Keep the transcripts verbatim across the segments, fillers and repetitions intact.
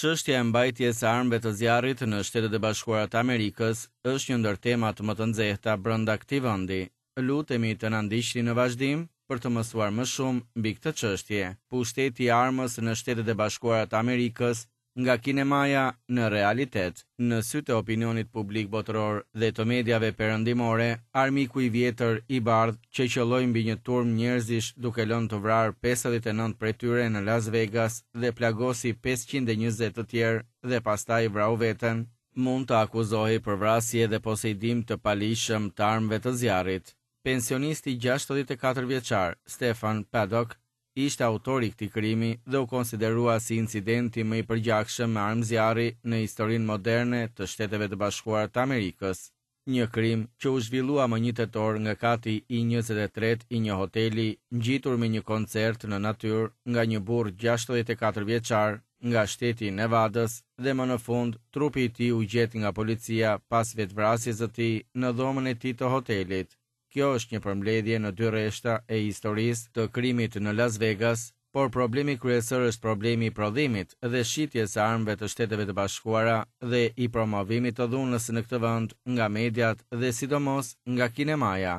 Çështja e mbajtjes së armëve të zjarrit në Shtetet e Bashkuara të Amerikës është një ndër temat më të nxehta brenda këtij vendi. Lutemi të na ndiqni në vazhdim për të mësuar më shumë mbi këtë çështje. Pushteti i armës në Shtetet e Bashkuara të Amerikës nga kinemaja në realitet. Në sytë e opinionit publik botëror dhe të mediave perëndimore, armiku i vjetër i bardhë që qëlloi mbi një turmë njerëzish duke lënë të vrarë pesëdhjetë e nëntë prej tyre në Las Vegas dhe plagosi pesëqind e njëzet të tjerë dhe pastaj vrau veten, mund të akuzohej për vrasje dhe poseidim të paligjshëm të armëve të zjarrit. Pensionisti gjashtëdhjetë e katër vjeçar Stephen Paddock ishte autori i këtij krimi dhe u konsiderua si incidenti më i përgjakshëm me armë zjarri në historinë moderne të Shteteve të Bashkuara të Amerikës. Një krim që u zhvillua më një tetor nga kati i njëzet e tretë i një hoteli ngjitur me një koncert në natyrë nga një burrë gjashtëdhjetë e katër vjeçar nga shteti i Nevadës dhe më në fund trupi i tij u gjet nga policia pas vetvrasjes së tij në dhomën e tij të hotelit. Kjo është një përmbledhje në dy rreshta e historisë të krimit në Las Vegas, por problemi kryesor është problemi i prodhimit dhe shitjes së armëve të Shteteve të Bashkuara dhe i promovimit të dhunës në këtë vend nga mediat dhe sidomos nga kinemaja.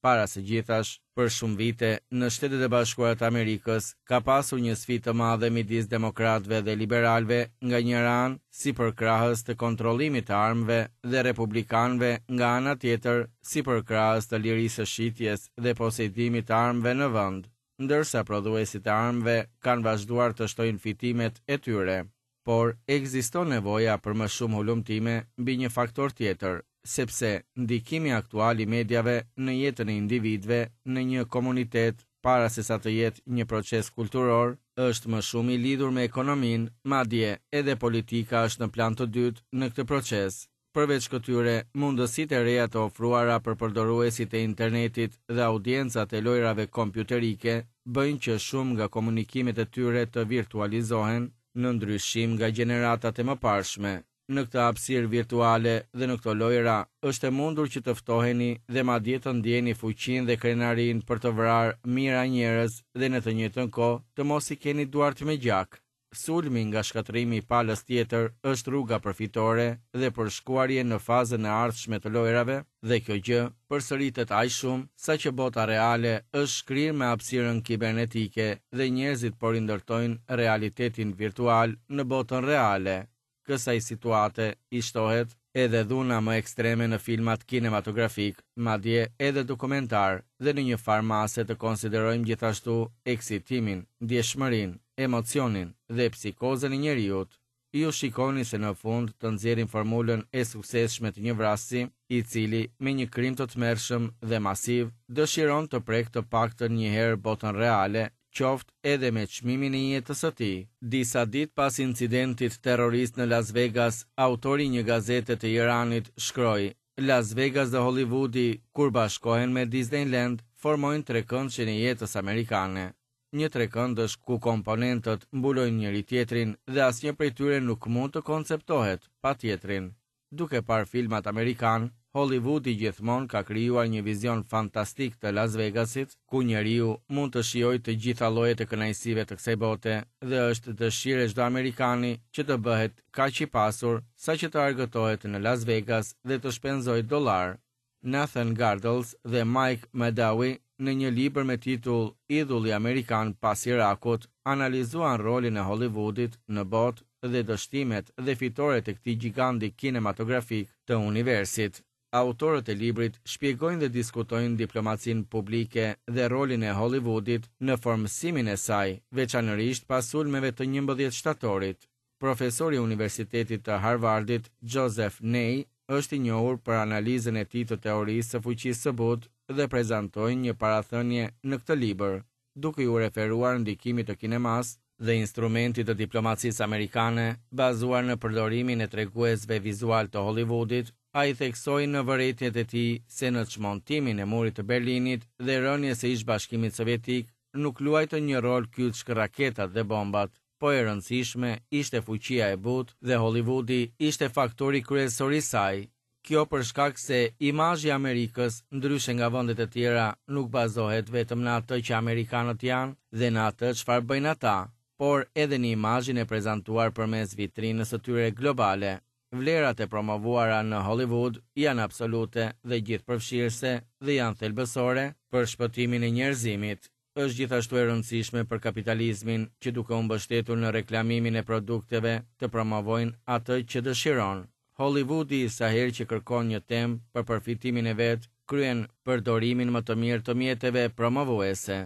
Para së gjithash, për shumë vite, në Shtetet e Bashkuara të Amerikës ka pasur një sfidë të madhe midis demokratëve dhe liberalëve nga njëra anë si përkrahës të kontrollimit të armëve dhe republikanëve nga ana tjetër si përkrahës të lirisë së shitjes dhe posedimit të armëve në vend, ndërsa prodhuesit e armëve kanë vazhduar të shtojnë fitimet e tyre. Por ekziston nevoja për më shumë hulumtime mbi një faktor tjetër, sepse ndikimi aktual i mediave në jetën e individëve në një komunitet para se sa të jetë një proces kulturor, është më shumë i lidhur me ekonominë, madje edhe politika është në plan të dytë në këtë proces. Përveç këtyre, mundësitë e reja të ofruara për përdoruesit e internetit dhe audiencat e lojrave kompjuterike bëjnë që shumë nga komunikimet e tyre të virtualizohen në ndryshim nga gjeneratat e mëparshme. Në këtë hapësirë virtuale dhe në këto lojra është e mundur që të ftoheni dhe madje të ndjeni fuqinë dhe krenarinë për të vrarë mijëra njerëz dhe në të njëjtën kohë të mos i keni duart me gjak. Sulmi nga shkatërrimi i palës tjetër është rruga për fitore dhe për shkuarje në fazën e ardhshme të lojrave dhe kjo gjë përsëritet aq shumë sa që bota reale është shkrirë me hapësirën kibernetike dhe njerëzit po rindërtojnë realitetin virtual në botën reale. Kësaj situate i shtohet edhe dhuna më ekstreme në filmat kinematografik, madje edhe dokumentar, dhe në një farë mase të konsiderojmë gjithashtu eksitimin, ndjeshmërinë, emocionin dhe psikozën e njeriut. Ju shikoni se në fund të nxjerrin formulën e suksesshme të një vrasësi, i cili me një krim të tmerrshëm dhe masiv dëshiron të prek të paktën një herë botën reale, qoftë edhe me çmimin e jetës së tij. Disa ditë pas incidentit terrorist në Las Vegas, autori i një gazete të Iranit shkroi: Las Vegas dhe Hollywoodi, kur bashkohen me Disneyland, formojnë trekëndëshin e jetës amerikane. Një trekëndësh ku komponentët mbulojnë njëri tjetrin dhe asnjë prej tyre nuk mund të konceptohet pa tjetrin. Duke parë filmat amerikan, Hollywoodi gjithmonë ka krijuar një vizion fantastik të Las Vegasit, ku njeriu mund të shijojë të gjitha llojet e kënaqësive të kësaj bote dhe është dëshirë e çdo amerikani që të bëhet kaq i pasur sa që të argëtohet në Las Vegas dhe të shpenzojë dollar. Nathan Gardels dhe Mike Mahdawi në një libër me titull Idhulli Amerikan pas Irakut analizuan rolin e Hollywoodit në botë dhe dështimet dhe fitoret e këtij gjiganti kinematografik të universit. Autorët e librit shpjegojnë dhe diskutojnë diplomacinë publike dhe rolin e Hollywoodit në formësimin e saj, veçanërisht pas sulmeve të njëmbëdhjetë shtatorit. Profesori i Universitetit të Harvardit, Joseph Nye, është i njohur për analizën e tij të teorisë së fuqisë së butë dhe prezantoi një parathënie në këtë libër, duke iu referuar ndikimit të kinemas dhe instrumentit të diplomacisë amerikane, bazuar në përdorimin e treguesve vizual të Hollywoodit. Ai theksoi në vërejtjet e tij se në çmontimin e murit të Berlinit dhe rënies së ish Bashkimit Sovjetik nuk luajtën një rol kyç raketat dhe bombat, po e rëndësishme ishte fuqia e butë dhe Hollywoodi ishte faktori kryesor i saj. Kjo për shkak se imazhi i Amerikës, ndryshe nga vendet e tjera, nuk bazohet vetëm në atë që amerikanët janë dhe në atë çfarë bëjnë ata, por edhe në imazhin e prezantuar përmes vitrinës së tyre globale. Vlerat e promovuara në Hollywood janë absolute dhe gjithëpërfshirëse dhe janë thelbësore për shpëtimin e njerëzimit. Është gjithashtu e rëndësishme për kapitalizmin që duke u mbështetur në reklamimin e produkteve të promovojnë atë që dëshiron. Hollywoodi sa herë që kërkon një temë për përfitimin e vet, kryen përdorimin më të mirë të mjeteve promovuese.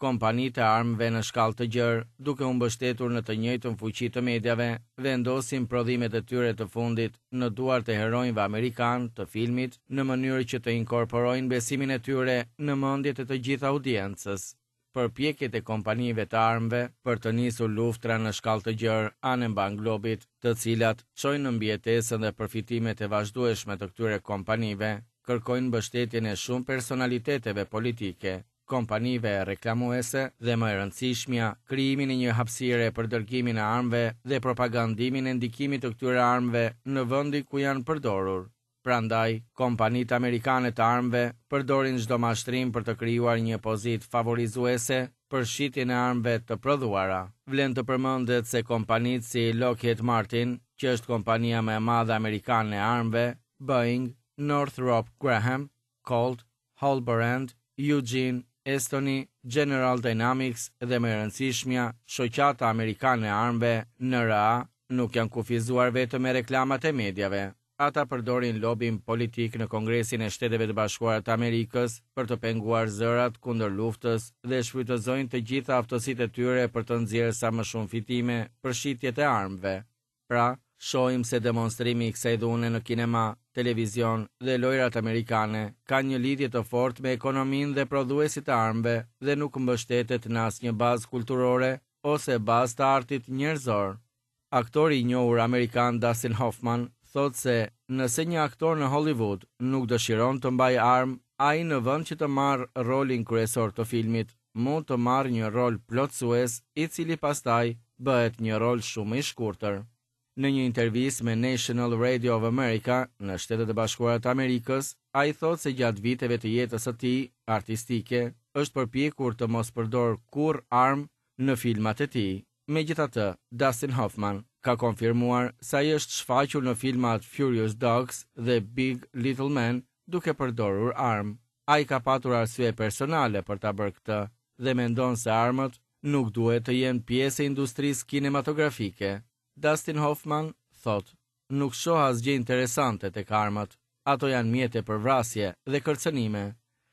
Kompanitë e armëve në shkallë të gjerë, duke u mbështetur në të njëjtën fuqi të mediave, vendosin prodhimet e tyre të fundit në duart e heronjve amerikanë të filmit në mënyrë që të inkorporojnë besimin e tyre në mendjet e të gjithë audiencës. Përpjekjet e kompanive të armëve për të nisur luftra në shkallë të gjerë anembanë globit, të cilat çojnë në mbijetesën dhe përfitimet e vazhdueshme të këtyre kompanive, kërkojnë mbështetjen e shumë personaliteteve politike, kompanive reklamuese dhe më e rëndësishmja, krijimin e një hapësire për dërgimin e armëve dhe propagandimin e ndikimit të këtyre armëve në vendin ku janë përdorur. Prandaj, kompanitë amerikane të armëve përdorin çdo mashtrim për të krijuar një pozitë favorizuese për shitjen e armëve të prodhuara. Vlen të përmendet se kompanitë si Lockheed Martin, që është kompania më e madhe amerikane e armëve, Boeing, Northrop Grumman, Colt, Hallborand, Eugene, Estoni, General Dynamics dhe më e rëndësishmja, Shoqata Amerikane e Armëve, N R A, nuk janë kufizuar vetëm me reklamat e mediave. Ata përdorin lobin politik në Kongresin e Shteteve të Bashkuara të Amerikës për të penguar zërat kundër luftës dhe shfrytëzojnë të gjitha aftësitë e tyre për të nxjerrë sa më shumë fitime për shitjet e armëve. Pra, shohim se demonstrimi i kësaj dhune në kinema, televizion dhe lojrat amerikane ka një lidhje të fortë me ekonominë dhe prodhuesit e armëve dhe nuk mbështetet në asnjë bazë kulturore ose bazë të artit njerëzor. Aktori i njohur amerikan Dustin Hoffman thotë se nëse një aktor në Hollywood nuk dëshiron të mbajë armë, ai në vend që të marrë rolin kryesor të filmit, mund të marrë një rol plotësues, i cili pastaj bëhet një rol shumë i shkurtër. Në një intervistë me National Radio of America në Shtetet e Bashkuara të Amerikës, ai thotë se gjatë viteve të jetës së tij artistike është përpjekur të mos përdor kurrë armë në filmat e tij. Megjithatë, Dustin Hoffman ka konfirmuar se ai është shfaqur në filmat Furious Dogs dhe Big Little Men duke përdorur armë. Ai ka patur arsye personale për ta bërë këtë dhe mendon se armët nuk duhet të jenë pjesë e industrisë kinematografike. Dustin Hoffman thotë, nuk shoh asgjë interesante tek armët. Ato janë mjete për vrasje dhe kërcënime.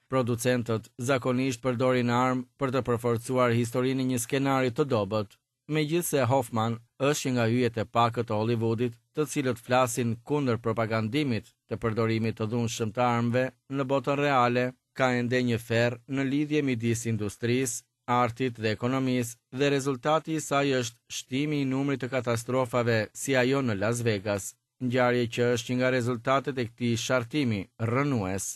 Producentët zakonisht përdorin armë për të përforcuar historinë e një skenari të dobët. Megjithëse Hoffman është një nga yjet e pakët të Hollywoodit, të cilët flasin kundër propagandimit të përdorimit të dhunshëm të armëve në botën reale, ka ende një ferr në lidhje midis industrisë, artit dhe ekonomisë dhe rezultati i saj është shtimi i numrit të katastrofave si ajo në Las Vegas, ngjarje që është një nga rezultatet e këtij shartimi rrënues.